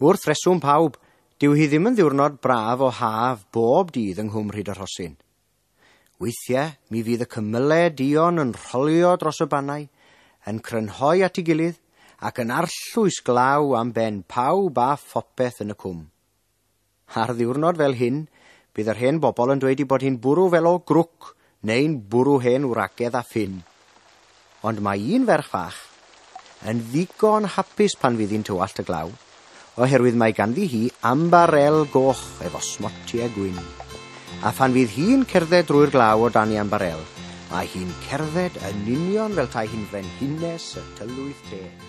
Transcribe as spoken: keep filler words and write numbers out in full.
Wrth reswm pawb, dyw hi ddim yn ddiwrnod braf o haf bob dydd yng Nghwm Rhyd y Rhosyn. Weithiau, mi fydd y cymylau duon yn rholio dros y bannau, yn crynhoi at ei gilydd ac yn arllwys glaw am ben pawb a phopeth yn y cwm. Ar ddiwrnod fel hyn, bydd yr hen bobl yn dweud ei bod hi'n bwrw fel o grwc neu'n bwrw hen wragedd a ffyn. Ond mae un ferch fach yn ddigon hapus pan fydd hi'n tywallt y glaw, oherwydd mae ganddi hi ambarel goch efo smotiau gwyn. A phan fydd hi'n cerdded drwy'r glaw o dan ei ambarel, mae hi'n cerdded yn union fel tai hi'n frenhines y tylwyth teg.